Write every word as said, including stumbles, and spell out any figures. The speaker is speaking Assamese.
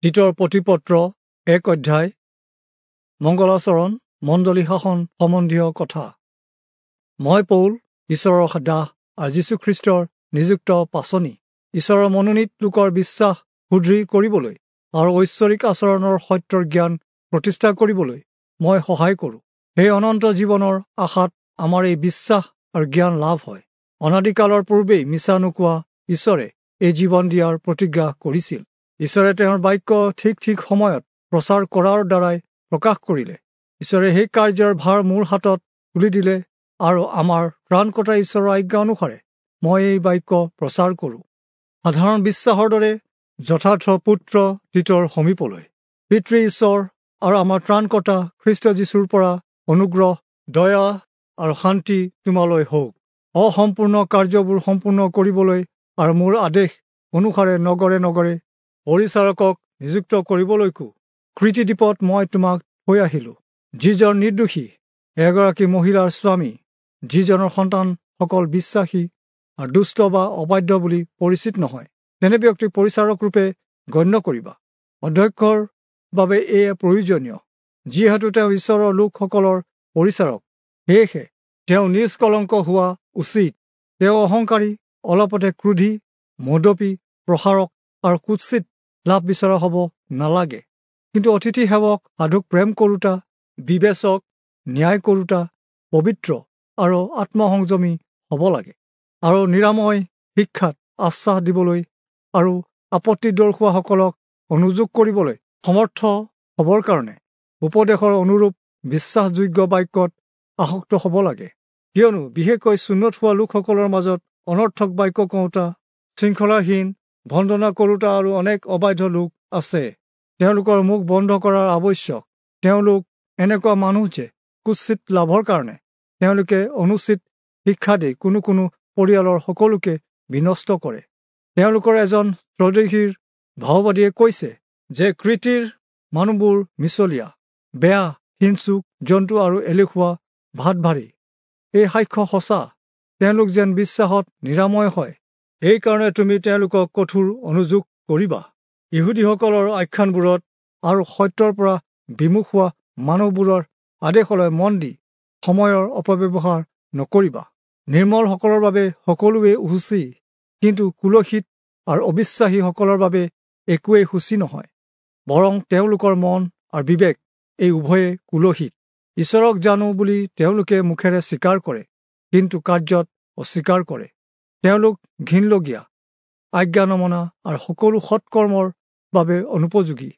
তীতৰ প্ৰতিপত্ৰ এক অধ্যায় মংগলাচৰণ মণ্ডলী শাসন সম্বন্ধীয় কথা। মই পৌল, ঈশ্বৰৰ দাস আৰু যীশুখ্ৰীষ্টৰ নিযুক্ত পাচনি, ঈশ্বৰৰ মনোনীত লোকৰ বিশ্বাস সুদৃঢ় কৰিবলৈ আৰু ঐশ্বৰিক আচৰণৰ সত্যৰ জ্ঞান প্ৰতিষ্ঠা কৰিবলৈ মই সহায় কৰোঁ। সেই অনন্ত জীৱনৰ আশাত আমাৰ এই বিশ্বাস আৰু জ্ঞান লাভ হয়। অনাদিকালৰ পূৰ্বেই মিছা নোকোৱা ঈশ্বৰে এই জীৱন দিয়াৰ প্ৰতিজ্ঞা কৰিছিল। ঈশ্বৰে তেওঁৰ বাক্য ঠিক ঠিক সময়ত প্ৰচাৰ কৰাৰ দ্বাৰাই প্ৰকাশ কৰিলে। ঈশ্বৰে সেই কাৰ্যৰ ভাৰ মোৰ হাতত তুলি দিলে আৰু আমাৰ ত্ৰাণকৰ্তা ঈশ্বৰৰ আজ্ঞা অনুসাৰে মই এই বাক্য প্ৰচাৰ কৰোঁ। সাধাৰণ বিশ্বাসৰ দৰে যথাৰ্থ পুত্ৰ তীতৰ সমীপলৈ পিতৃ ঈশ্বৰ আৰু আমাৰ ত্ৰাণকৰ্তা খ্ৰীষ্ট যীশুৰ পৰা অনুগ্ৰহ, দয়া আৰু শান্তি তোমালৈ হওক। অসম্পূৰ্ণ কাৰ্যবোৰ সম্পূৰ্ণ কৰিবলৈ আৰু মোৰ আদেশ অনুসাৰে নগৰে নগৰে পৰিচাৰকক নিযুক্ত কৰিবলৈকো কৃতিদ্বীপত মই তোমাক থৈ আহিলোঁ। যিজন নিৰ্দোষী এগৰাকী মহিলাৰ স্বামী, যিজনৰ সন্তানসকল বিশ্বাসী আৰু দুষ্ট বা অবাধ্য বুলি পৰিচিত নহয়, তেনে ব্যক্তিক পৰিচাৰকৰূপে গণ্য কৰিবা। অধ্যক্ষৰ বাবে এয়া প্ৰয়োজনীয়, যিহেতু তেওঁ ঈশ্বৰৰ লোকসকলৰ পৰিচাৰক। সেয়েহে তেওঁ নিষ্কলংক হোৱা উচিত। তেওঁ অহংকাৰী, অলপতে ক্ৰোধী, মদপী, প্ৰসাৰক আৰু কুৎসিত লাভ বিচৰা হ'ব নালাগে, কিন্তু অতিথি সেৱক, সাধুক প্ৰেম কৰোতা, বিবেচক, ন্যায় কৰোতা, পবিত্ৰ আৰু আত্মসংযমী হ'ব লাগে, আৰু নিৰাময় শিক্ষাত আশ্বাস দিবলৈ আৰু আপত্তি দৰ্শোৱাসকলক অনুযোগ কৰিবলৈ সমৰ্থ হ'বৰ কাৰণে উপদেশৰ অনুৰূপ বিশ্বাসযোগ্য বাক্যত আসক্ত হ'ব লাগে। কিয়নো বিশেষকৈ চুন্নত হোৱা লোকসকলৰ মাজত অনৰ্থক বাক্য কওঁতা, শৃংখলাহীন, ভণ্ডনা কৰোতা আৰু অনেক অবাধ্য লোক আছে। তেওঁলোকৰ মুখ বন্ধ কৰাৰ আৱশ্যক। তেওঁলোক এনেকুৱা মানুহ যে কুৎসিত লাভৰ কাৰণে তেওঁলোকে অনুচিত শিক্ষা দি কোনো কোনো পৰিয়ালৰ সকলোকে বিনষ্ট কৰে। তেওঁলোকৰ এজন স্বদেশীৰ ভাওবাদীয়ে কৈছে যে কৃতিৰ মানুহবোৰ মিছলীয়া, বেয়া, হিংসুক, জন্তু আৰু এলেহুৱা, ভাত ভাৰী। এই সাক্ষ্য সঁচা। তেওঁলোক যেন বিশ্বাসত নিৰাময় হয়, এইকাৰণে তুমি তেওঁলোকক কঠোৰ অনুযোগ কৰিবা। ইহুদীসকলৰ আখ্যানবোৰত আৰু সত্যৰ পৰা বিমুখ হোৱা মানুহবোৰৰ আদেশলৈ মন দি সময়ৰ অপব্যৱহাৰ নকৰিবা। নিৰ্মলসকলৰ বাবে সকলোৱে শুচি, কিন্তু কুলসিত আৰু অবিশ্বাসীসকলৰ বাবে একোৱেই শুচি নহয়, বৰং তেওঁলোকৰ মন আৰু বিবেক এই উভয়ে কুলসিত। ঈশ্বৰক জানো বুলি তেওঁলোকে মুখেৰে স্বীকাৰ কৰে, কিন্তু কাৰ্যত অস্বীকাৰ কৰে। তেওঁলোক ঘিণলগীয়া, আজ্ঞা নমনা আৰু সকলো সৎকৰ্মৰ বাবে অনুপযোগী।